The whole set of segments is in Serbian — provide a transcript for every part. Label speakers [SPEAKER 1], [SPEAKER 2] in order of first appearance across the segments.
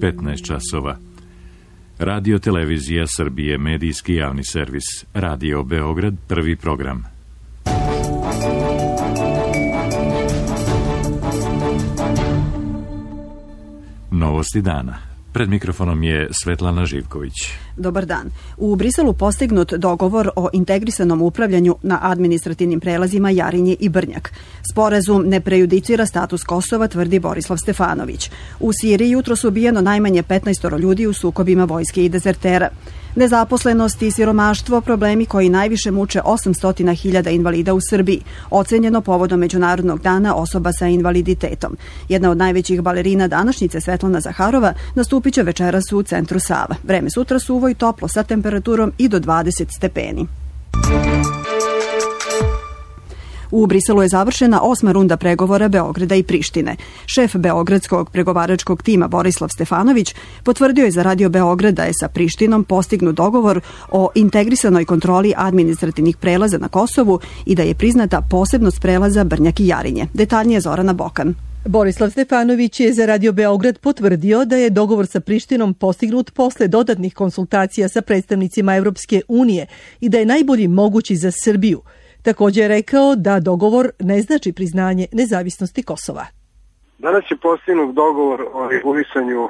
[SPEAKER 1] 15 časova. Radio Televizija Srbije, medijski javni servis. Radio Beograd, prvi program. Novosti dana. Pred mikrofonom je Svetlana Živković.
[SPEAKER 2] Dobar dan. U Briselu postignut dogovor o integrisanom upravljanju na administrativnim prelazima Jarinje i Brnjak. Sporazum ne prejudicira status Kosova, tvrdi Borislav Stefanović. U Siriji jutros ubijeno najmanje 15 ljudi u sukobima vojske i dezertera. Nezaposlenost i siromaštvo, problemi koji najviše muče 800.000 invalida u Srbiji, ocenjeno povodom Međunarodnog dana osoba sa invaliditetom. Jedna od najvećih balerina današnjice, Svetlana Zaharova, nastupit će večeras u centru Sava. Vreme sutra suvo i toplo sa temperaturom i do 20 stepeni. U Briselu je završena 8. runda pregovora Beograda i Prištine. Šef beogradskog pregovaračkog tima Borislav Stefanović potvrdio je za Radio Beograd da je sa Prištinom postignut dogovor o integrisanoj kontroli administrativnih prelaza na Kosovu i da je priznata posebnost prelaza Brnjak i Jarinje. Detaljnije Zorana Bokan.
[SPEAKER 3] Borislav Stefanović je za Radio Beograd potvrdio da je dogovor sa Prištinom postignut posle dodatnih konsultacija sa predstavnicima Evropske unije i da je najbolji mogući za Srbiju. Također je rekao da dogovor ne znači priznanje nezavisnosti Kosova.
[SPEAKER 4] Danas je postignut dogovor o regulisanju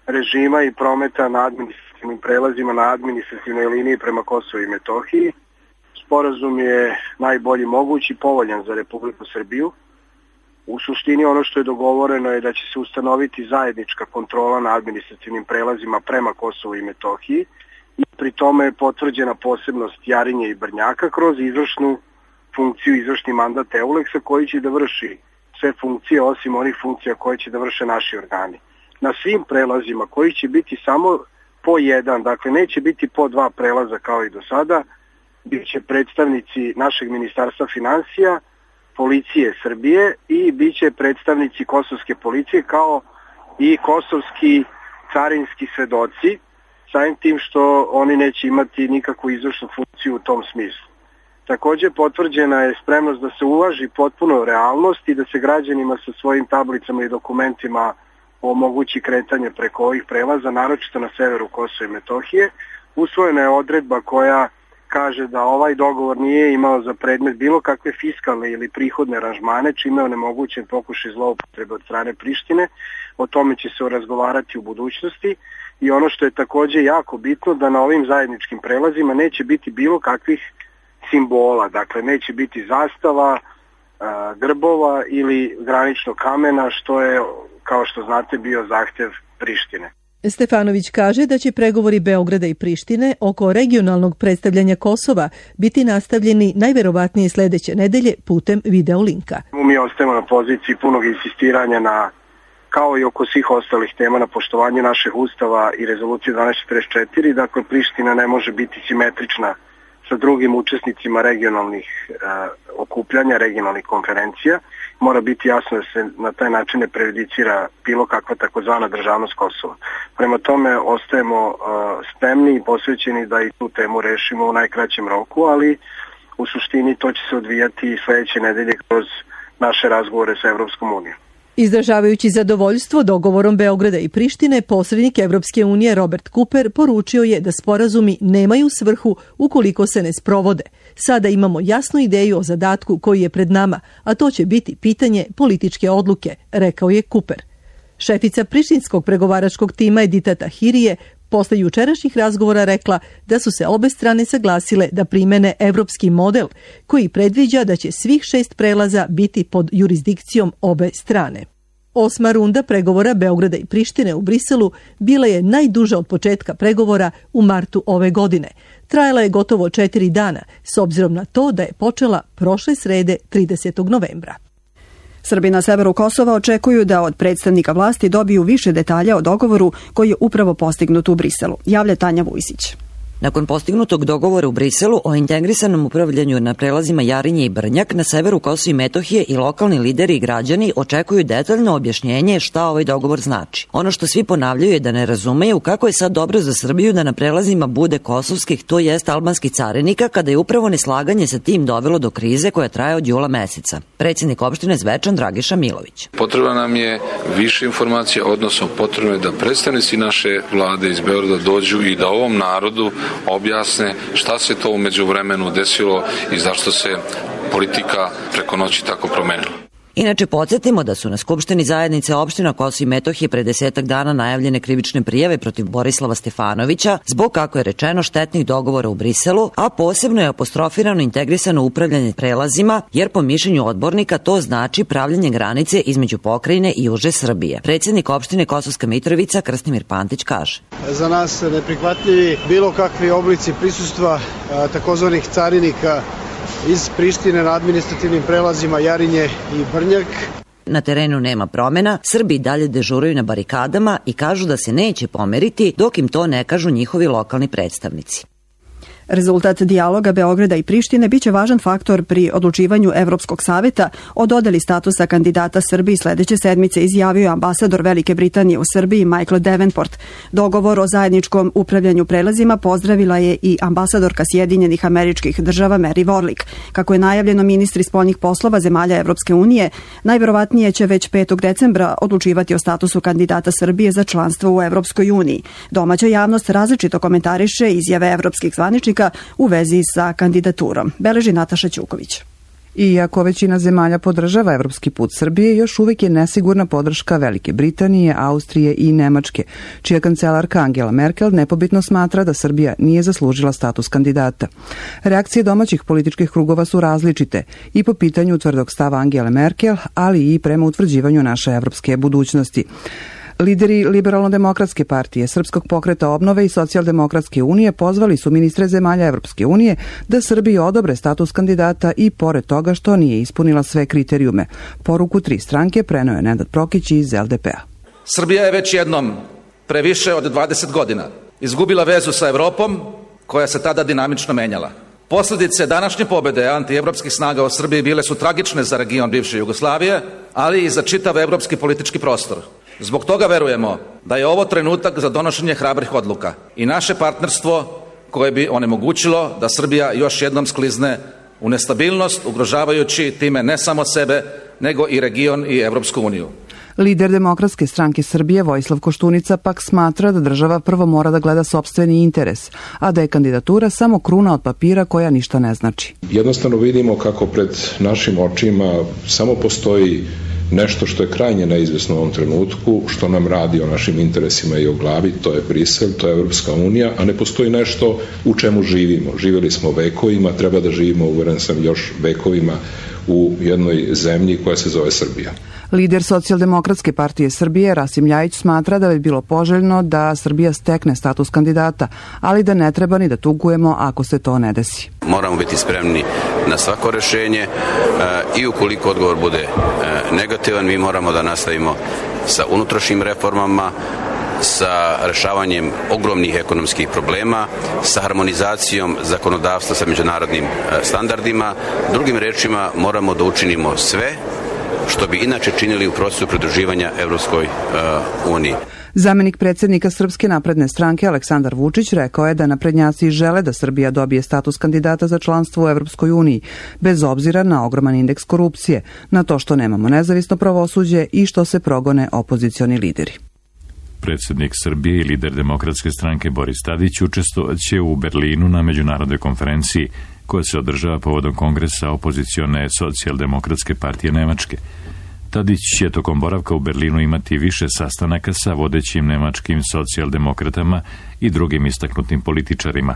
[SPEAKER 4] režima i prometa na administrativnim prelazima na administrativnoj liniji prema Kosovu i Metohiji. Sporazum je najbolji mogući, povoljan za Republiku Srbiju. U suštini ono što je dogovoreno je da će se ustanoviti zajednička kontrola na administrativnim prelazima prema Kosovu i Metohiji. I pri tome je potvrđena posebnost Jarinje i Brnjaka kroz izvršnu funkciju, izvršni mandat EULEX-a koji će da vrši sve funkcije osim onih funkcija koje će da vrše naši organi. Na svim prelazima koji će biti samo po jedan, dakle neće biti po dva prelaza kao i do sada, bit će predstavnici našeg ministarstva finansija, policije Srbije i bit će predstavnici kosovske policije kao i kosovski carinski svedoci, samim tim što oni neće imati nikakvu izvršnu funkciju u tom smislu. Također potvrđena je spremnost da se uvaži potpuno realnost i da se građanima sa svojim tablicama i dokumentima omogući kretanje preko ovih prelaza, naročito na severu Kosova i Metohije. Usvojena je odredba koja kaže da ovaj dogovor nije imao za predmet bilo kakve fiskalne ili prihodne aranžmane, čime je onemogućen pokušaj zloupotrebe od strane Prištine. O tome će se razgovarati u budućnosti. I ono što je također jako bitno, da na ovim zajedničkim prelazima neće biti bilo kakvih simbola, dakle neće biti zastava, grbova ili graničnog kamena, što je, kao što znate, bio zahtjev Prištine.
[SPEAKER 3] Stefanović kaže da će pregovori Beograda i Prištine oko regionalnog predstavljanja Kosova biti nastavljeni najverovatnije sledeće nedelje putem video linka.
[SPEAKER 4] Mi ostajemo na poziciji punog insistiranja kao i oko svih ostalih tema na poštovanju našeg ustava i rezolucije 1244, dakle Priština ne može biti simetrična sa drugim učesnicima regionalnih okupljanja, regionalnih konferencija. Mora biti jasno da se na taj način ne prejudicira bilo kakva takozvana državnost Kosova. Prema tome ostajemo spremni i posvećeni da i tu temu rešimo u najkraćem roku, ali u suštini to će se odvijati sledeće nedelje kroz naše razgovore sa Evropskom unijom.
[SPEAKER 3] Izražavajući zadovoljstvo dogovorom Beograda i Prištine, posrednik Evropske unije Robert Cooper poručio je da sporazumi nemaju svrhu ukoliko se ne sprovode. Sada imamo jasnu ideju o zadatku koji je pred nama, a to će biti pitanje političke odluke, rekao je Cooper. Šefica prištinskog pregovaračkog tima Edita Tahirije posle jučerašnjih razgovora rekla da su se obe strane saglasile da primene evropski model koji predviđa da će svih 6 prelaza biti pod jurisdikcijom obe strane. 8. runda pregovora Beograda i Prištine u Briselu bila je najduža od početka pregovora u martu ove godine. Trajala je gotovo 4 dana, s obzirom na to da je počela prošle srede 30. novembra.
[SPEAKER 2] Srbi na severu Kosova očekuju da od predstavnika vlasti dobiju više detalja o dogovoru koji je upravo postignut u Briselu. Javlja Tanja Vujsić.
[SPEAKER 5] Nakon postignutog dogovora u Briselu o integrisanom upravljanju na prelazima Jarinje i Brnjak na severu Kosova i Metohije i lokalni lideri i građani očekuju detaljno objašnjenje šta ovaj dogovor znači. Ono što svi ponavljaju je da ne razumeju kako je sad dobro za Srbiju da na prelazima bude kosovskih, to jest albanskih carinika, kada je upravo neslaganje sa tim dovelo do krize koja traje od jula meseca. Predsjednik opštine Zvečan Dragiša Milović.
[SPEAKER 6] Potrebna nam je više informacija, odnosno potrebno je da predstavnici naše vlade iz Beograda dođu i da ovom narodu objasne šta se to u međuvremenu desilo i zašto se politika preko noći tako promenila.
[SPEAKER 5] Inače, podsjetimo da su na Skupštini zajednice opština Kosovo i Metohije pre 10 dana najavljene krivične prijave protiv Borislava Stefanovića zbog, kako je rečeno, štetnih dogovora u Briselu, a posebno je apostrofirano integrisano upravljanje prelazima, jer po mišljenju odbornika to znači pravljenje granice između pokrajine i uže Srbije. Predsjednik opštine Kosovska Mitrovica Krstimir Pantić kaže:
[SPEAKER 7] Za nas neprihvatljivi bilo kakvi oblici prisustva takozvanih carinika iz Prištine na administrativnim prelazima Jarinje i Brnjak.
[SPEAKER 5] Na terenu nema promena, Srbi dalje dežuraju na barikadama i kažu da se neće pomeriti dok im to ne kažu njihovi lokalni predstavnici.
[SPEAKER 2] Rezultat dijaloga Beograda i Prištine biće važan faktor pri odlučivanju Evropskog saveta o dodeli statusa kandidata Srbiji sledeće sedmice, izjavio je ambasador Velike Britanije u Srbiji Michael Davenport. Dogovor o zajedničkom upravljanju prelazima pozdravila je i ambasadorka Sjedinjenih Američkih Država Mary Warlick. Kako je najavljeno, ministri spoljnih poslova zemalja Evropske unije najverovatnije će već 5. decembra odlučivati o statusu kandidata Srbije za članstvo u Evropskoj uniji. Domaća javnost različito komentariše izjave evropskih zvaničnika u vezi sa kandidaturom. Beleži Nataša Ćuković.
[SPEAKER 8] Iako većina zemalja podržava evropski put Srbije, još uvijek je nesigurna podrška Velike Britanije, Austrije i Nemačke, čija kancelarka Angela Merkel nepobitno smatra da Srbija nije zaslužila status kandidata. Reakcije domaćih političkih krugova su različite i po pitanju tvrdog stava Angele Merkel, ali i prema utvrđivanju naše evropske budućnosti. Lideri Liberalno-demokratske partije, Srpskog pokreta obnove i Socijaldemokratske unije pozvali su ministre zemalja Evropske unije da Srbiji odobre status kandidata i pored toga što nije ispunila sve kriterijume. Poruku 3 stranke preneo je Nenad Prokić iz LDP-a.
[SPEAKER 9] Srbija je već jednom, pre više od 20 godina, izgubila vezu sa Evropom koja se tada dinamično menjala. Posljedice današnje pobede antievropskih snaga u Srbiji bile su tragične za region bivše Jugoslavije, ali i za čitav evropski politički prostor. Zbog toga verujemo da je ovo trenutak za donošenje hrabrih odluka i naše partnerstvo koje bi onemogućilo da Srbija još jednom sklizne u nestabilnost, ugrožavajući time ne samo sebe, nego i region i Evropsku uniju.
[SPEAKER 8] Lider Demokratske stranke Srbije Vojislav Koštunica pak smatra da država prvo mora da gleda sopstveni interes, a da je kandidatura samo kruna od papira koja ništa ne znači.
[SPEAKER 10] Jednostavno vidimo kako pred našim očima samo postoji nešto što je krajnje neizvesno u ovom trenutku, što nam radi o našim interesima i o glavi, to je Brisel, to je Evropska unija, a ne postoji nešto u čemu živimo. Živjeli smo vekovima, treba da živimo, uveren sam, još vekovima u jednoj zemlji koja se zove Srbija.
[SPEAKER 8] Lider Socijaldemokratske partije Srbije Rasim Ljajić smatra da bi bilo poželjno da Srbija stekne status kandidata, ali da ne treba ni da tugujemo ako se to ne desi.
[SPEAKER 11] Moramo biti spremni na svako rešenje i ukoliko odgovor bude negativan, mi moramo da nastavimo sa unutrašnjim reformama, sa rešavanjem ogromnih ekonomskih problema, sa harmonizacijom zakonodavstva sa međunarodnim standardima. Drugim rečima, moramo da učinimo sve što bi inače činili u procesu pridruživanja Evropskoj uniji.
[SPEAKER 8] Zamenik predsjednika Srpske napredne stranke Aleksandar Vučić rekao je da naprednjaci žele da Srbija dobije status kandidata za članstvo u Evropskoj uniji, bez obzira na ogroman indeks korupcije, na to što nemamo nezavisno pravosuđe i što se progone opozicioni lideri.
[SPEAKER 1] Predsjednik Srbije i lider Demokratske stranke Boris Tadić učestvovaće u Berlinu na međunarodnoj konferenciji koja se održava povodom kongresa opozicione Socijaldemokratske partije Nemačke. Tadić će tokom boravka u Berlinu imati više sastanaka sa vodećim nemačkim socijaldemokratama i drugim istaknutim političarima.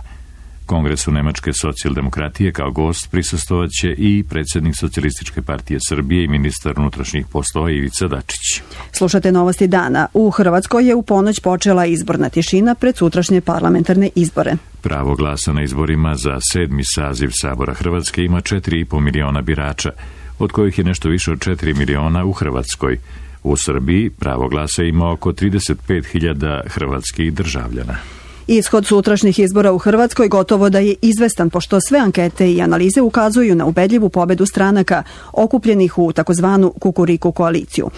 [SPEAKER 1] Kongresu Nemačke socijaldemokratije kao gost prisustvovaće i predsjednik Socijalističke partije Srbije i ministar unutrašnjih poslova Ivica Dačić.
[SPEAKER 2] Slušate novosti dana. U Hrvatskoj je u ponoć počela izborna tišina pred sutrašnje parlamentarne izbore.
[SPEAKER 1] Pravo glasa na izborima za 7. saziv Sabora Hrvatske ima 4,5 miliona birača, od kojih je nešto više od 4 miliona u Hrvatskoj. U Srbiji pravo glasa ima oko 35.000 hrvatskih državljana.
[SPEAKER 2] Ishod sutrašnjih izbora u Hrvatskoj gotovo da je izvestan, pošto sve ankete i analize ukazuju na ubedljivu pobedu stranaka okupljenih u takozvanu Kukuriku koaliciju.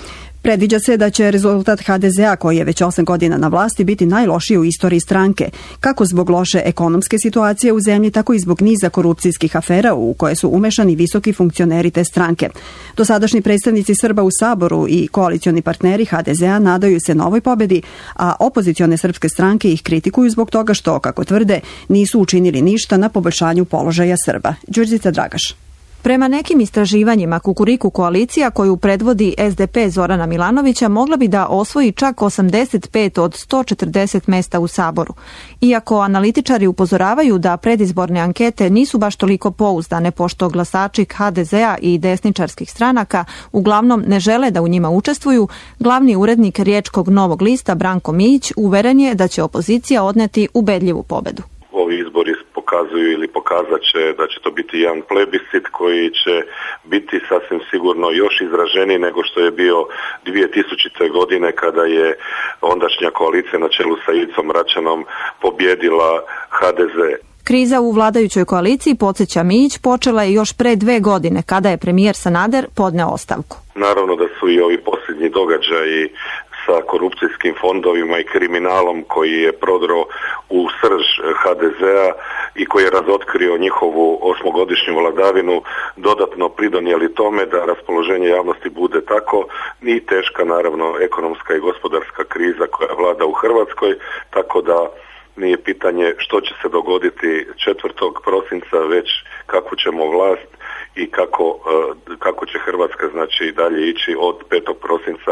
[SPEAKER 2] Predviđa se da će rezultat HDZ-a, koji je već 8 godina na vlasti, biti najlošiji u istoriji stranke, kako zbog loše ekonomske situacije u zemlji, tako i zbog niza korupcijskih afera u koje su umešani visoki funkcioneri te stranke. Dosadašnji predstavnici Srba u Saboru i koalicioni partneri HDZ-a nadaju se novoj pobedi, a opozicione srpske stranke ih kritikuju zbog toga što, kako tvrde, nisu učinili ništa na poboljšanju položaja Srba. Đurđica Dragaš.
[SPEAKER 12] Prema nekim istraživanjima, Kukuriku koalicija koju predvodi SDP Zorana Milanovića mogla bi da osvoji čak 85 od 140 mesta u Saboru. Iako analitičari upozoravaju da predizborne ankete nisu baš toliko pouzdane, pošto glasači HDZ-a i desničarskih stranaka uglavnom ne žele da u njima učestvuju, glavni urednik Riječkog Novog lista Branko Mijić uveren je da će opozicija odneti ubedljivu pobedu.
[SPEAKER 13] Ovi izbori pokazuju ili pokazat će da će to biti jedan plebiscit koji će biti sasvim sigurno još izraženiji nego što je bio 2000. godine kada je ondašnja koalicija na čelu sa Ivicom Račanom pobjedila HDZ.
[SPEAKER 12] Kriza u vladajućoj koaliciji, podsjeća Mijić, počela je još pre 2 godine kada je premijer Sanader podneo ostavku.
[SPEAKER 13] Naravno da su i ovi posljednji događaji sa korupcijskim fondovima i kriminalom koji je prodro u srž HDZ-a i koji je razotkrio njihovu 8-godišnju vladavinu dodatno pridonijeli tome da raspoloženje javnosti bude tako i teška naravno ekonomska i gospodarska kriza koja vlada u Hrvatskoj, tako da nije pitanje što će se dogoditi 4. prosinca, već kako ćemo vlast i kako će Hrvatska znači dalje ići od 5. prosinca.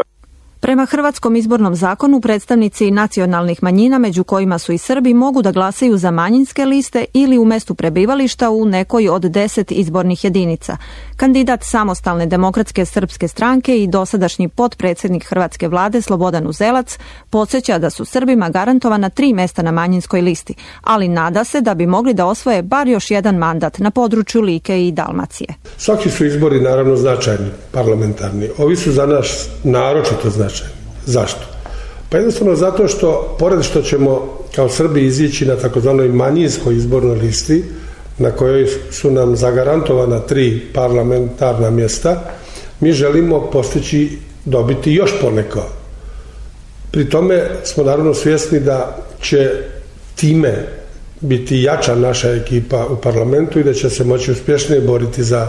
[SPEAKER 12] Prema hrvatskom izbornom zakonu, predstavnici nacionalnih manjina, među kojima su i Srbi, mogu da glasaju za manjinske liste ili u mestu prebivališta u nekoj od 10 izbornih jedinica. Kandidat Samostalne demokratske srpske stranke i dosadašnji potpredsjednik hrvatske vlade Slobodan Uzelac podsjeća da su Srbima garantovana 3 mesta na manjinskoj listi, ali nada se da bi mogli da osvoje bar još jedan mandat na području Like i Dalmacije.
[SPEAKER 14] Svaki su izbori naravno značajni, parlamentarni. Ovi su za nas naročito značajni. Zašto? Pa jednostavno zato što, pored što ćemo kao Srbi izići na takozvanoj manjinskoj izbornoj listi, na kojoj su nam zagarantovana 3 parlamentarna mjesta, mi želimo postići dobiti još poneko. Pri tome smo naravno svjesni da će time biti jača naša ekipa u parlamentu i da će se moći uspješnije boriti za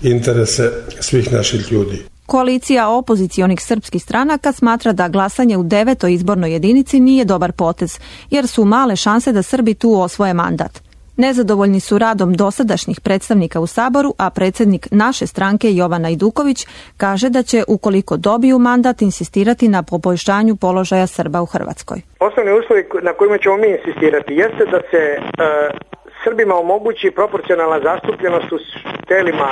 [SPEAKER 14] interese svih naših ljudi.
[SPEAKER 12] Koalicija opozicionih srpskih stranaka smatra da glasanje u 9. izbornoj jedinici nije dobar potez, jer su male šanse da Srbi tu osvoje mandat. Nezadovoljni su radom dosadašnjih predstavnika u Saboru, a predsjednik naše stranke Jovan Ajduković kaže da će, ukoliko dobiju mandat, insistirati na poboljšanju položaja Srba u Hrvatskoj.
[SPEAKER 15] Osnovni uslovi na kojima ćemo mi insistirati jeste da se Srbima omogući proporcionalna zastupljenost u telima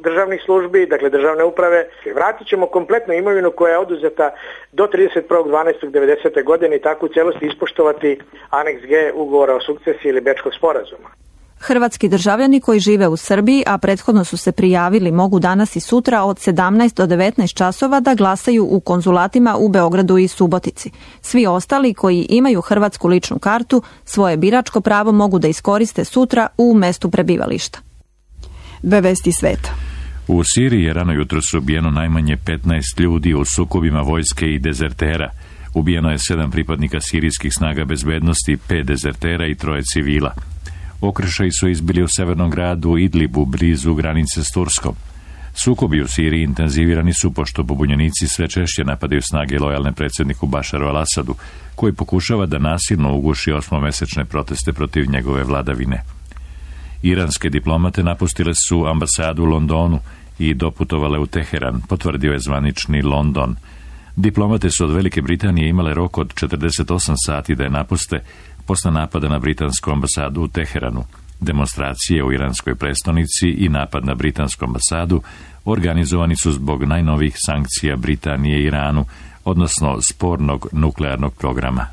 [SPEAKER 15] državnih službi, dakle državne uprave. Vratit ćemo kompletnu imovinu koja je oduzeta do 31.12.1990. godine i tako u cijelosti ispoštovati aneks G ugovora o sukcesiji ili Bečkog sporazuma.
[SPEAKER 12] Hrvatski državljani koji žive u Srbiji, a prethodno su se prijavili, mogu danas i sutra od 17 do 19 časova da glasaju u konzulatima u Beogradu i Subotici. Svi ostali koji imaju hrvatsku ličnu kartu svoje biračko pravo mogu da iskoriste sutra u mestu prebivališta.
[SPEAKER 2] 2 vesti sveta.
[SPEAKER 1] U Siriji je rano jutros ubijeno najmanje 15 ljudi u sukobima vojske i dezertera. Ubijeno je 7 pripadnika sirijskih snaga bezbednosti, 5 dezertera i 3 civila. Okršaji su izbili u severnom gradu Idlibu, blizu granice s Turskom. Sukobi u Siriji intenzivirani su pošto pobunjenici sve češće napadaju snage lojalne predsjedniku Bašaru al-Asadu, koji pokušava da nasilno uguši 8-mesečne proteste protiv njegove vladavine. Iranske diplomate napustile su ambasadu u Londonu i doputovale u Teheran, potvrdio je zvanični London. Diplomate su od Velike Britanije imale rok od 48 sati da je napuste posle napada na britansku ambasadu u Teheranu. Demonstracije u iranskoj prestonici i napad na britansku ambasadu organizovani su zbog najnovijih sankcija Britanije i Iranu, odnosno spornog nuklearnog programa.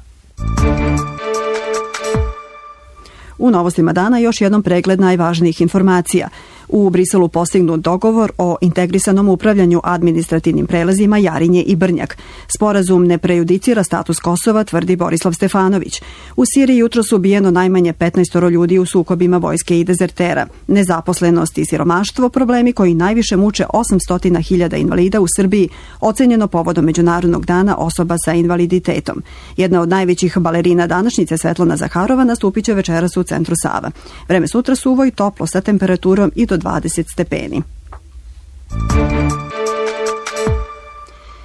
[SPEAKER 2] U novostima dana još jednom pregled najvažnijih informacija. U Briselu postignut dogovor o integrisanom upravljanju administrativnim prelazima Jarinje i Brnjak. Sporazum ne prejudicira status Kosova, tvrdi Borislav Stefanović. U Siriji jutros ubijeno najmanje 15 ljudi u sukobima vojske i dezertera. Nezaposlenost i siromaštvo, problemi koji najviše muče 800.000 invalida u Srbiji, ocenjeno povodom Međunarodnog dana osoba sa invaliditetom. Jedna od najvećih balerina današnjice, Svetlana Zaharova, nastupit će večeras u centru Sava. Vreme sutra suvo i toplo sa temperaturom i do 20 stepeni.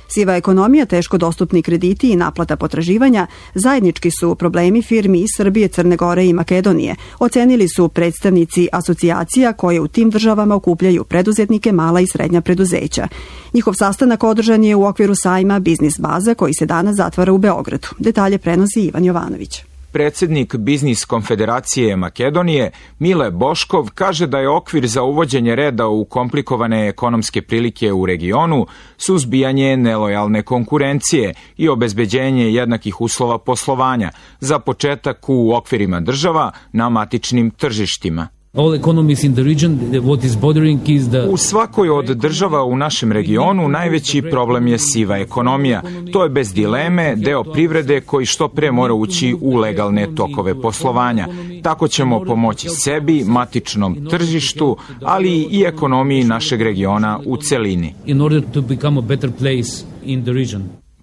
[SPEAKER 2] Siva ekonomija, teško dostupni krediti i naplata potraživanja zajednički su problemi firmi iz Srbije, Crne Gore i Makedonije, ocenili su predstavnici asocijacija koje u tim državama okupljaju preduzetnike, mala i srednja preduzeća. Njihov sastanak održan je u okviru sajma Biznis Baza koji se danas zatvara u Beogradu. Detalje prenosi Ivan Jovanović.
[SPEAKER 16] Predsjednik Biznis konfederacije Makedonije, Mile Boškov, kaže da je okvir za uvođenje reda u komplikovane ekonomske prilike u regionu suzbijanje nelojalne konkurencije i obezbeđenje jednakih uslova poslovanja, za početak u okvirima država na matičnim tržištima. U svakoj od država u našem regionu najveći problem je siva ekonomija. To je bez dileme deo privrede koji što pre mora ući u legalne tokove poslovanja. Tako ćemo pomoći sebi, matičnom tržištu, ali i ekonomiji našeg regiona u celini.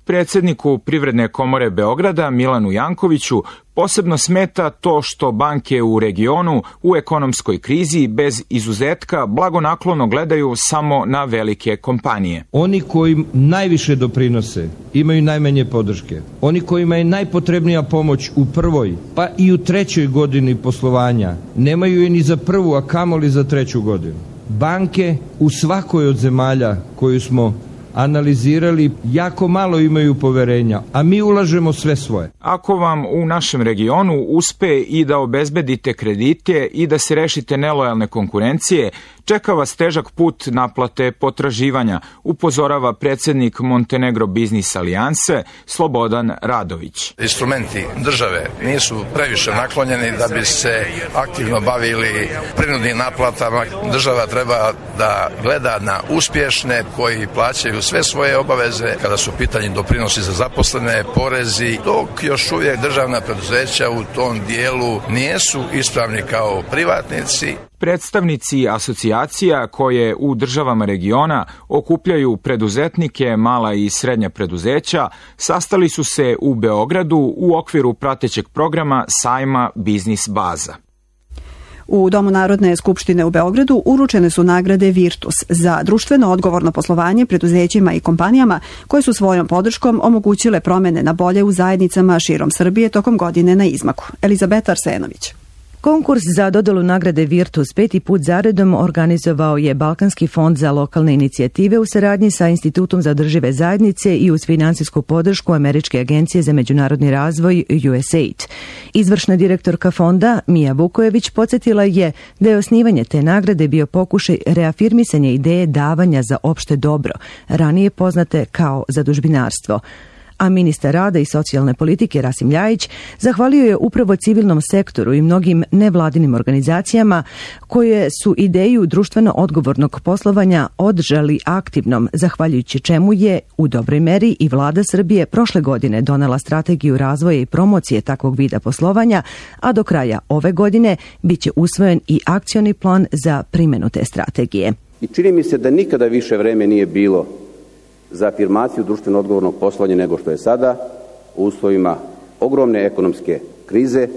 [SPEAKER 16] Predsjedniku Privredne komore Beograda, Milanu Jankoviću, posebno smeta to što banke u regionu u ekonomskoj krizi bez izuzetka blagonaklono gledaju samo na velike kompanije.
[SPEAKER 17] Oni koji najviše doprinose imaju najmanje podrške. Oni kojima je najpotrebnija pomoć u prvoj, pa i u trećoj godini poslovanja, nemaju je ni za prvu, a kamoli za treću godinu. Banke u svakoj od zemalja koju smo analizirali, jako malo imaju poverenja, a mi ulažemo sve svoje.
[SPEAKER 16] Ako vam u našem regionu uspe i da obezbedite kredite i da se rešite nelojalne konkurencije, čeka vas težak put naplate potraživanja, upozorava predsjednik Montenegro Biznis alijanse Slobodan Radović.
[SPEAKER 18] Instrumenti države nisu previše naklonjeni da bi se aktivno bavili prinudnim naplatama. Država treba da gleda na uspješne koji plaćaju sve svoje obaveze kada su pitanje doprinosi za zaposlene, porezi, dok još uvijek državna preduzeća u tom dijelu nisu ispravni kao privatnici.
[SPEAKER 16] Predstavnici asocijacija koje u državama regiona okupljaju preduzetnike, mala i srednja preduzeća, sastali su se u Beogradu u okviru pratećeg programa sajma Biznis Baza.
[SPEAKER 2] U Domu Narodne skupštine u Beogradu uručene su nagrade Virtus za društveno odgovorno poslovanje preduzećima i kompanijama koje su svojom podrškom omogućile promene na bolje u zajednicama širom Srbije tokom godine na izmaku. Elizabeta Arsenović.
[SPEAKER 19] Konkurs za dodelu nagrade Virtus 5. put zaredom organizovao je Balkanski fond za lokalne inicijative u saradnji sa Institutom za održive zajednice i uz finansijsku podršku Američke agencije za međunarodni razvoj USAID. Izvršna direktorka fonda Mija Vukojević podsjetila je da je osnivanje te nagrade bio pokušaj reafirmisanja ideje davanja za opšte dobro, ranije poznate kao zadužbinarstvo. A ministar rada i socijalne politike Rasim Ljajić zahvalio je upravo civilnom sektoru i mnogim nevladinim organizacijama koje su ideju društveno odgovornog poslovanja održali aktivnom, zahvaljujući čemu je u dobroj meri i vlada Srbije prošle godine donela strategiju razvoja i promocije takvog vida poslovanja, a do kraja ove godine biće usvojen i akcioni plan za primjenu te strategije.
[SPEAKER 20] I čini mi se da nikada više vreme nije bilo za afirmaciju društveno odgovornog poslovanja nego što je sada u uslovima ogromne ekonomske krize,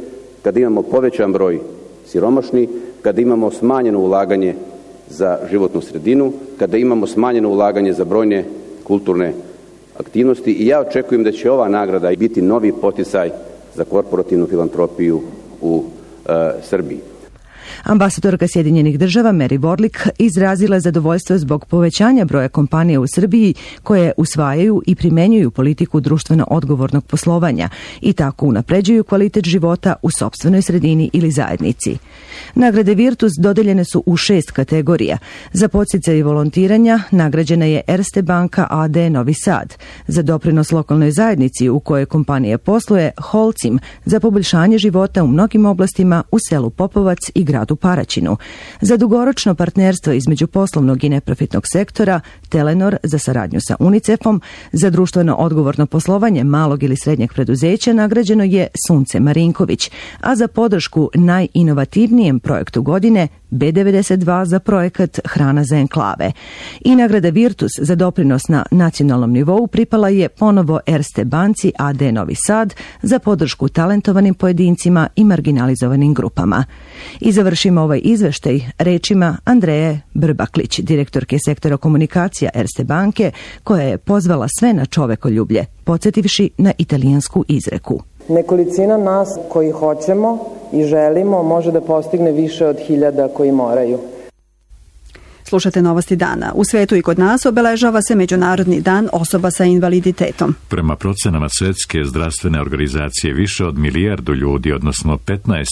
[SPEAKER 20] kada imamo povećan broj siromašnih, kada imamo smanjeno ulaganje za životnu sredinu, kada imamo smanjeno ulaganje za brojne kulturne aktivnosti i ja očekujem da će ova nagrada biti novi poticaj za korporativnu filantropiju u Srbiji.
[SPEAKER 19] Ambasadorka Sjedinjenih država Mary Warlick izrazila zadovoljstvo zbog povećanja broja kompanija u Srbiji koje usvajaju i primenjuju politiku društveno odgovornog poslovanja i tako unapređuju kvalitet života u sopstvenoj sredini ili zajednici. Nagrade Virtus dodeljene su u 6 kategorija. Za podsticaj volontiranja nagrađena je Erste banka AD Novi Sad, za doprinos lokalnoj zajednici u kojoj kompanija posluje Holcim za poboljšanje života u mnogim oblastima u selu Popovac i gradu gradu Paraćinu. Za dugoročno partnerstvo između poslovnog i neprofitnog sektora, Telenor za saradnju sa UNICEF-om, za društveno odgovorno poslovanje malog ili srednjeg preduzeća nagrađeno je Sunce Marinković, a za podršku najinovativnijem projektu godine B92 za projekat Hrana za enklave. I nagrada Virtus za doprinos na nacionalnom nivou pripala je ponovo Erste banci AD Novi Sad za podršku talentovanim pojedincima i marginalizovanim grupama. I završimo ovaj izveštaj rečima Andreje Brbaklić, direktorke sektora komunikacija Erste banke, koja je pozvala sve na čovekoljublje, podsjetivši na italijansku izreku.
[SPEAKER 21] Nekolicina nas koji hoćemo i želimo može da postigne više od 1000 koji moraju.
[SPEAKER 2] Slušate Novosti dana. U svetu i kod nas obeležava se Međunarodni dan osoba sa invaliditetom.
[SPEAKER 1] Prema procenama Svetske zdravstvene organizacije, više od 1 milijardu ljudi, odnosno 15%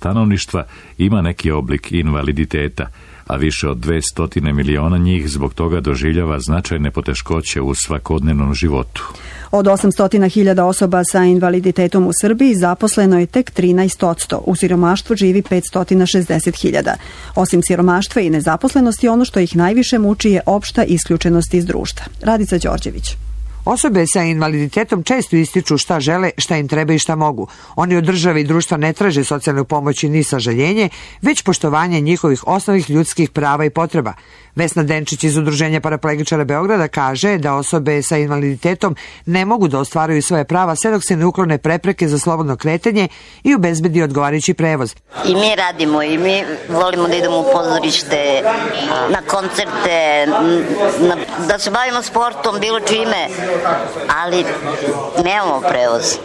[SPEAKER 1] stanovništva, ima neki oblik invaliditeta, a više od 200 miliona njih zbog toga doživljava značajne poteškoće u svakodnevnom životu.
[SPEAKER 2] Od 800.000 osoba sa invaliditetom u Srbiji zaposleno je tek 13%, u siromaštvu živi 560.000. Osim siromaštva i nezaposlenosti, ono što ih najviše muči je opšta isključenost iz društva. Radica Đorđević.
[SPEAKER 22] Osobe sa invaliditetom često ističu šta žele, šta im treba i šta mogu. Oni od države i društva ne traže socijalnu pomoć ni sažaljenje, već poštovanje njihovih osnovnih ljudskih prava i potreba. Vesna Denčić iz Udruženja paraplegičara Beograda kaže da osobe sa invaliditetom ne mogu da ostvaruju svoje prava sve dok se ne uklone prepreke za slobodno kretanje i obezbedi odgovarajući prevoz.
[SPEAKER 23] I mi radimo i mi volimo da idemo u pozorište, na koncerte, da se bavimo sportom, bilo čime, ali nemamo prevoz.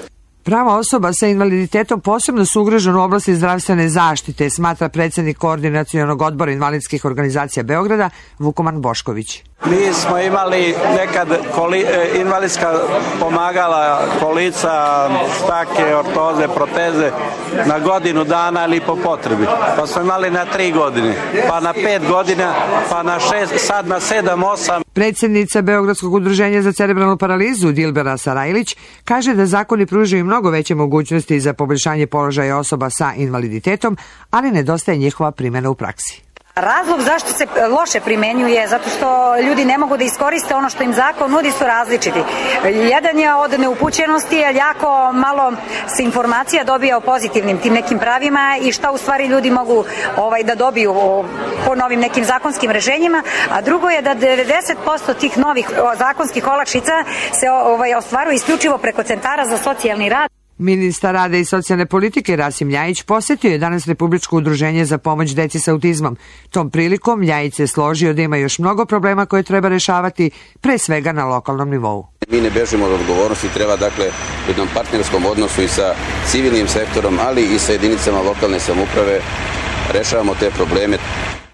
[SPEAKER 22] Prava osoba sa invaliditetom posebno su ugrožene u oblasti zdravstvene zaštite, smatra predsjednik Koordinacionog odbora invalidskih organizacija Beograda, Vukoman Bošković.
[SPEAKER 24] Mi smo imali nekad invalidska pomagala, kolica, štake, ortoze, proteze na godinu dana ili po potrebi. Pa smo imali na 3 godine, pa na 5 godina, pa na 6, sad na 7, 8.
[SPEAKER 22] Predsjednica Beogradskog udruženja za cerebralnu paralizu Dilbera Sarajlić kaže da zakoni pružaju mnogo veće mogućnosti za poboljšanje položaja osoba sa invaliditetom, ali nedostaje njihova primjena u praksi.
[SPEAKER 25] Razlog zašto se loše primenjuje, zato što ljudi ne mogu da iskoriste ono što im zakon nudi, su različiti. Jedan je od neupućenosti, jer jako malo se informacija dobija o pozitivnim tim nekim pravima i šta u stvari ljudi mogu da dobiju po novim nekim zakonskim rešenjima, a drugo je da 90% tih novih zakonskih olakšica se ostvaruje isključivo preko centara za socijalni rad.
[SPEAKER 22] Ministar rada i socijalne politike Rasim Ljajić posjetio je danas Republičko udruženje za pomoć deci sa autizmom. Tom prilikom Ljajić se složio da ima još mnogo problema koje treba rešavati, pre svega na lokalnom nivou.
[SPEAKER 20] Mi ne bežimo od odgovornosti, treba dakle u jednom partnerskom odnosu i sa civilnim sektorom, ali i sa jedinicama lokalne samouprave rešavamo te probleme.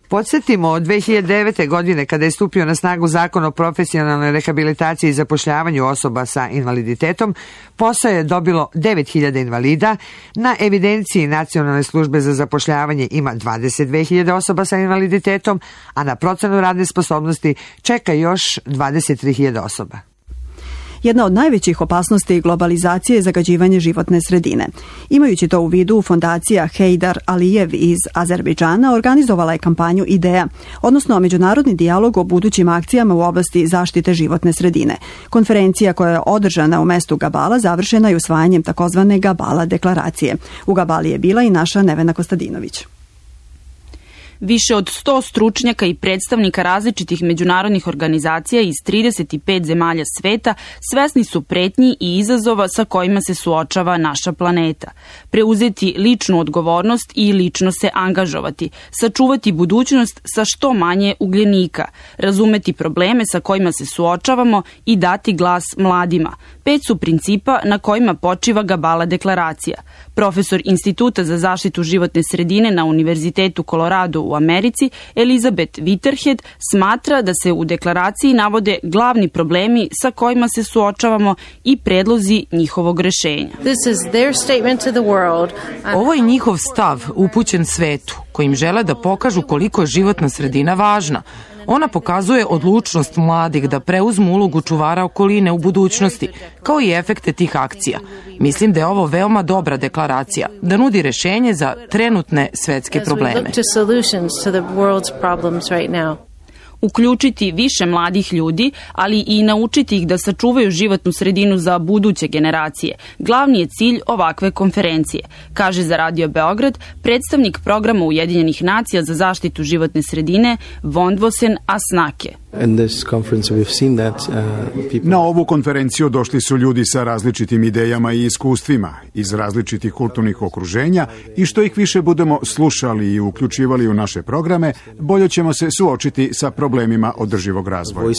[SPEAKER 22] Podsjetimo, od 2009. godine, kada je stupio na snagu Zakon o profesionalnoj rehabilitaciji i zapošljavanju osoba sa invaliditetom, posao je dobilo 9.000 invalida. Na evidenciji Nacionalne službe za zapošljavanje ima 22.000 osoba sa invaliditetom, a na procenu radne sposobnosti čeka još 23.000 osoba.
[SPEAKER 2] Jedna od najvećih opasnosti globalizacije je zagađivanje životne sredine. Imajući to u vidu, fondacija Heydar Alijev iz Azerbejdžana organizovala je kampanju IDEA, odnosno međunarodni dijalog o budućim akcijama u oblasti zaštite životne sredine. Konferencija koja je održana u mestu Gabala završena je usvajanjem takozvane Gabala deklaracije. U Gabali je bila i naša Nevena Kostadinović.
[SPEAKER 26] Više od 100 stručnjaka i predstavnika različitih međunarodnih organizacija iz 35 zemalja sveta svesni su pretnji i izazova sa kojima se suočava naša planeta. Preuzeti ličnu odgovornost i lično se angažovati, sačuvati budućnost sa što manje ugljenika, razumeti probleme sa kojima se suočavamo i dati glas mladima. 5 su principa na kojima počiva Gabala deklaracija. Profesor Instituta za zaštitu životne sredine na Univerzitetu Colorado u Americi, Elizabeth Whitterhead, smatra da se u deklaraciji navode glavni problemi sa kojima se suočavamo i predlozi njihovog rešenja.
[SPEAKER 27] Ovo je njihov stav upućen svetu, kojim žele da pokažu koliko je životna sredina važna.
[SPEAKER 3] Ona pokazuje odlučnost mladih da preuzmu ulogu čuvara okoline u budućnosti, kao i efekte tih akcija. Mislim da je ovo veoma dobra deklaracija, da nudi rešenje za trenutne svetske probleme.
[SPEAKER 26] Uključiti više mladih ljudi, ali i naučiti ih da sačuvaju životnu sredinu za buduće generacije. Glavni je cilj ovakve konferencije, kaže za Radio Beograd predstavnik programa Ujedinjenih nacija za zaštitu životne sredine Vondvosen Asnake.
[SPEAKER 4] Na ovu konferenciju došli su ljudi sa različitim idejama i iskustvima iz različitih kulturnih okruženja i što ih više budemo slušali i uključivali u naše programe, bolje ćemo se suočiti sa problemima održivog razvoja.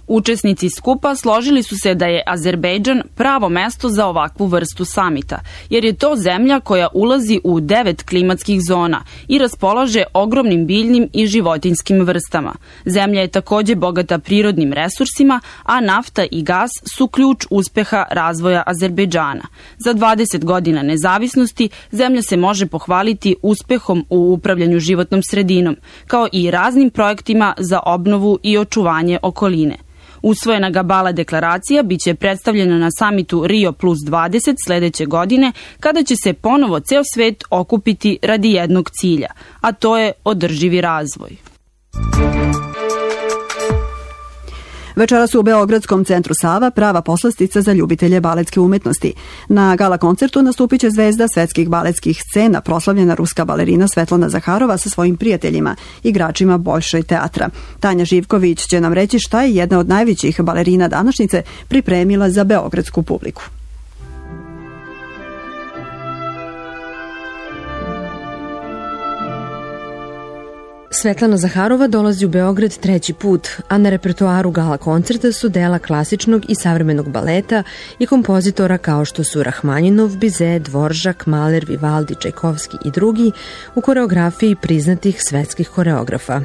[SPEAKER 26] Učesnici skupa složili su se da je Azerbejdžan pravo mesto za ovakvu vrstu samita, jer je to zemlja koja ulazi u 9 klimatskih zona i raspolaže ogromnim biljnim i životinjskim vrstama. Zemlja je takođe bogata prirodnim resursima, a nafta i gas su ključ uspeha razvoja Azerbejdžana. Za 20 godina nezavisnosti zemlja se može pohvaliti uspehom u upravljanju životnom sredinom, kao i raznim projektima za obnovu i očuvanje okoline. Usvojena Gabala deklaracija biće predstavljena na samitu Rio plus 20 sledeće godine, kada će se ponovo ceo svet okupiti radi jednog cilja, a to je održivi razvoj.
[SPEAKER 2] Večeras u Beogradskom centru Sava prava poslastica za ljubitelje baletske umetnosti. Na gala koncertu nastupit će zvezda svetskih baletskih scena, proslavljena ruska balerina Svetlana Zaharova sa svojim prijateljima, igračima Bolšoj teatra. Tanja Živković će nam reći šta je jedna od najvećih balerina današnjice pripremila za beogradsku publiku.
[SPEAKER 19] Svetlana Zaharova dolazi u Beograd treći put, a na repertoaru gala koncerta su dela klasičnog i savremenog baleta i kompozitora kao što su Rahmaninov, Bizet, Dvoržak, Mahler, Vivaldi, Čajkovski i drugi u koreografiji priznatih svetskih koreografa.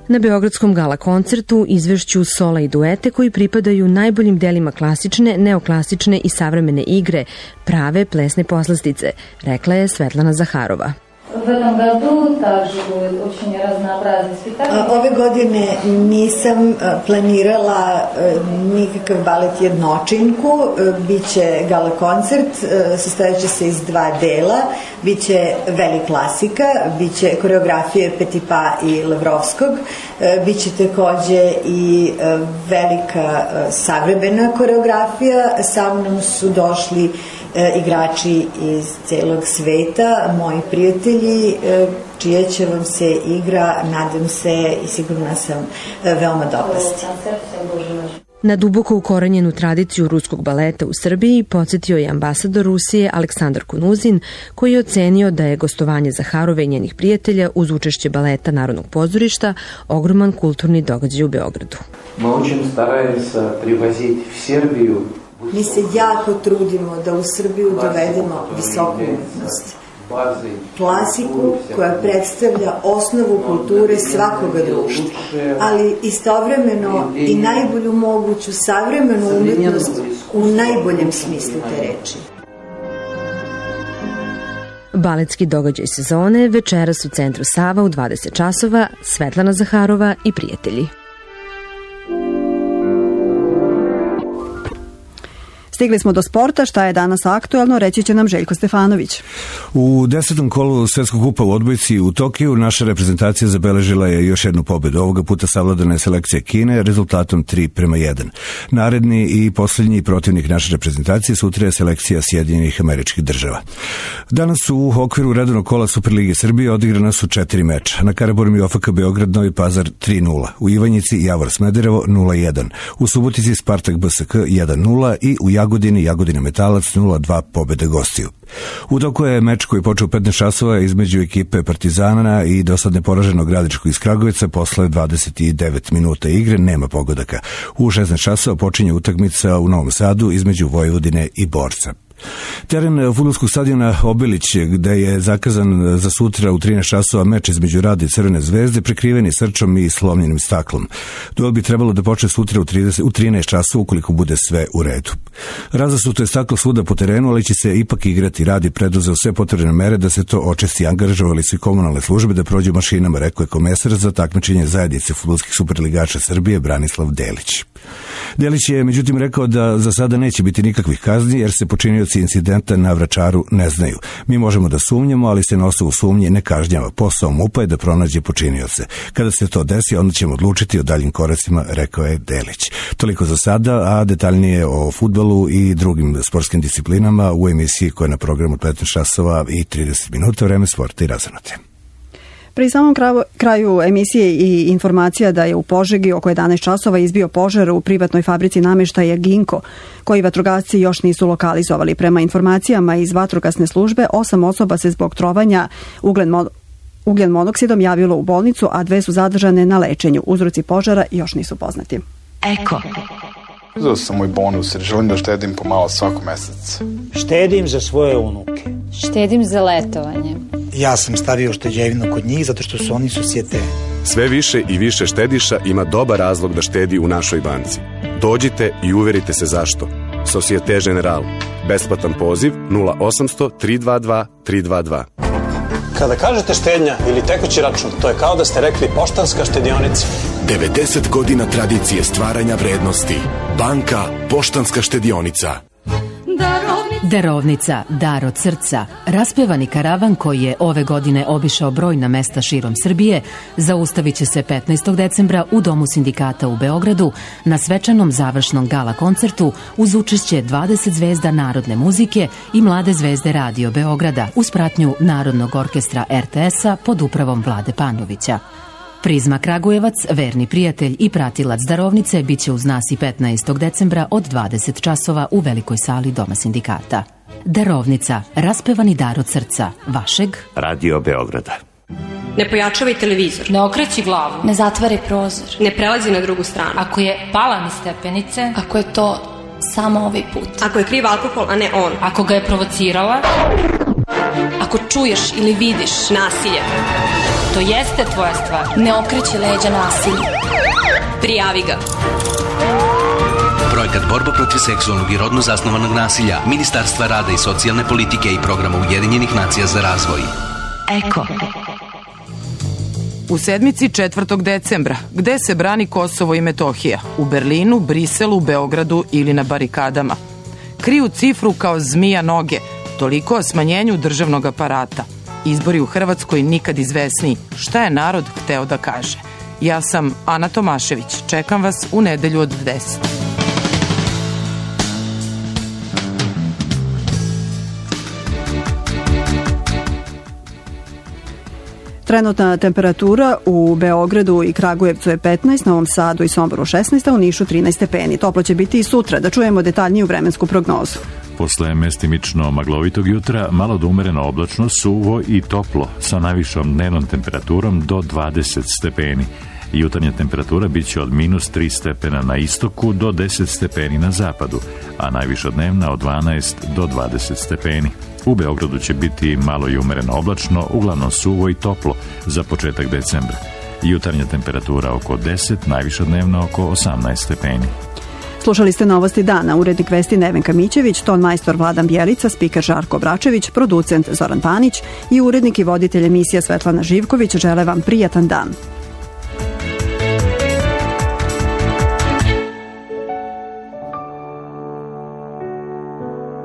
[SPEAKER 19] Na Beogradskom gala koncertu izvešću sola i duete koji pripadaju najboljim delima klasične, neoklasične i savremene igre, prave plesne poslastice, rekla je Svetlana Zaharova.
[SPEAKER 5] Ove godine nisam planirala nikakav balet jednočinku, biće gala koncert, sastojeće se iz dva dela, biće veli klasika, biće koreografije Petipa i Lavrovskog, biće takođe i velika savremena koreografija, sa mnom su došli igrači iz celog sveta, moji prijatelji, čija će vam se igra, nadam se i sigurna sam, veoma dopasti.
[SPEAKER 19] Na duboko ukorenjenu tradiciju ruskog baleta u Srbiji podsjetio je ambasador Rusije Aleksandar Kunuzin, koji je ocenio da je gostovanje Zaharove i njenih prijatelja uz učešće baleta Narodnog pozorišta ogroman kulturni događaj u Beogradu.
[SPEAKER 5] Mi se jako trudimo da u Srbiju dovedemo visoku umetnost. Klasiku koja predstavlja osnovu kulture svakoga društva, ali istovremeno i najbolju moguću savremenu umetnost u najboljem smislu te reči.
[SPEAKER 19] Baletski događaj sezone večeras u centru Sava u 20 časova, Svetlana Zaharova i prijatelji.
[SPEAKER 2] Stigli smo do sporta, šta je danas aktuelno, reći će nam Željko Stefanović.
[SPEAKER 6] U 10. kolu Svetskog kupa u odbojci u Tokiju naša reprezentacija zabeležila je još jednu pobedu. Ovoga puta savladana je selekcija Kine rezultatom 3:1. Naredni i posljednji protivnik naše reprezentacije sutra je selekcija Sjedinjenih Američkih Država. Danas u okviru redovnog kola Superlige Srbije odigrana su 4 meča. Na Karaburmi OFK Beograd Novi Pazar 3:0, u Ivanjici Javor Smederevo 0:1, u Subotici Spartak BSK 1:0 i u Jagodina Metalac 0:2 pobede gostiju. U toku je meč koji je počeo u 15 časova između ekipe Partizana i dosadne poraženog Gradiškog iz Kragujevca. Posle 29 minuta igre nema pogodaka. U 16 časova počinje utakmica u Novom Sadu između Vojvodine i Borca. Teren fudbalskog stadiona Obilić, gde je zakazan za sutra u 13 časova meč između Rada i Crvene zvezde, prekriveni srčom i slomljenim staklom. Duel bi trebalo da počne sutra u 13 časova ukoliko bude sve u redu. Razasuto je staklo svuda po terenu, ali će se ipak igrati. Rad je preduzeo sve potrebne mere da se to očisti. Angažovali su komunalne službe da prođu mašinama, rekao je komesar za takmičenje zajednice fudbalskih superligača Srbije Branislav Delić. Delić je međutim rekao da za sada neće biti nikakvih kazni jer se počinioci incidenta na Vračaru ne znaju. Mi možemo da sumnjamo, ali se na osnovu sumnje ne kažnjava. Posao MUP-a je da pronađe počinioce. Kada se to desi, onda ćemo odlučiti o daljim koracima, rekao je Delić. Toliko za sada, a detaljnije o fudbalu i drugim sportskim disciplinama u emisiji koja je na programu 15 časova i 30 minuta, vreme sporta i razanote.
[SPEAKER 2] Pri samom kraju emisije i informacija da je u Požegi oko 11 časova izbio požar u privatnoj fabrici nameštaja Ginko, koji vatrogasci još nisu lokalizovali. Prema informacijama iz vatrogasne službe, 8 osoba se zbog trovanja ugljen monoksidom javilo u bolnicu, a 2 su zadržane na lečenju. Uzroci požara još nisu poznati.
[SPEAKER 7] Eko.
[SPEAKER 8] Uzeo sam moj bonus jer želim da štedim pomalo svako mesec.
[SPEAKER 9] Štedim za svoje unuke.
[SPEAKER 10] Štedim za letovanje.
[SPEAKER 9] Ja sam stavio šteđevinu kod njih zato što su oni susjete.
[SPEAKER 11] Sve više i više štediša ima dobar razlog da štedi u našoj banci. Dođite i uverite se zašto. Societe General. Besplatan poziv 0800 322 322.
[SPEAKER 9] Kada kažete štednja ili tekući račun, to je kao da ste rekli Poštanska štedionica.
[SPEAKER 13] 90 godina tradicije stvaranja vrednosti. Banka Poštanska štedionica.
[SPEAKER 7] Darovnica, dar od srca. Raspevani karavan koji je ove godine obišao brojna mesta širom Srbije, zaustavit će se 15. decembra u Domu sindikata u Beogradu na svečanom završnom gala koncertu uz učešće 20 zvezda narodne muzike i mlade zvezde Radio Beograda uz pratnju Narodnog orkestra RTS-a pod upravom Vlade Panovića. Prizma Kragujevac, verni prijatelj i pratilac darovnice, bit će uz nas i 15. decembra od 20 časova u velikoj sali Doma sindikata. Darovnica, raspevani dar od srca, vašeg
[SPEAKER 27] Radio Beograda.
[SPEAKER 28] Ne pojačavaj televizor.
[SPEAKER 10] Ne okreći glavu.
[SPEAKER 28] Ne zatvaraj prozor. Ne prelazi na drugu stranu.
[SPEAKER 10] Ako je pala niz stepenice.
[SPEAKER 28] Ako je to samo ovaj put. Ako je kriv alkohol, a ne on.
[SPEAKER 10] Ako ga je provocirala.
[SPEAKER 28] Ako čuješ ili vidiš nasilje.
[SPEAKER 10] To jeste tvoja stvar.
[SPEAKER 28] Ne okreći leđa nasilju. Prijavi ga.
[SPEAKER 29] Projekat Borba protiv seksualnog i rodno zasnovanog nasilja Ministarstva rada i socijalne politike i programa Ujedinjenih nacija za razvoj.
[SPEAKER 7] Eko.
[SPEAKER 3] U sedmici 4. decembra, gde se brani Kosovo i Metohija? U Berlinu, Briselu, Beogradu ili na barikadama? Kriju cifru kao zmija noge, toliko o smanjenju državnog aparata. Izbori u Hrvatskoj nikad izvesniji. Šta je narod hteo da kaže? Ja sam Ana Tomašević. Čekam vas u nedelju od 10.
[SPEAKER 2] Trenutna temperatura u Beogradu i Kragujevcu je 15, Novom Sadu i Somboru 16, a u Nišu 13 stepeni. Toplo će biti i sutra. Da čujemo detaljniju vremensku prognozu.
[SPEAKER 1] Posle mestimično maglovitog jutra, malo do umereno oblačno, suvo i toplo, sa najvišom dnevnom temperaturom do 20 stepeni. Jutarnja temperatura bit će od -3 stepena na istoku do 10 stepeni na zapadu, a najviša dnevna od 12 do 20 stepeni. U Beogradu će biti malo i umereno oblačno, uglavnom suvo i toplo za početak decembra. Jutarnja temperatura oko 10, najviša dnevna oko 18 stepeni.
[SPEAKER 2] Slušali ste Novosti dana, urednik vesti Nevenka Mićević, ton majstor Vladan Bjelica, spiker Žarko Bračević, producent Zoran Panić i urednik i voditelj emisija Svetlana Živković žele vam prijatan dan.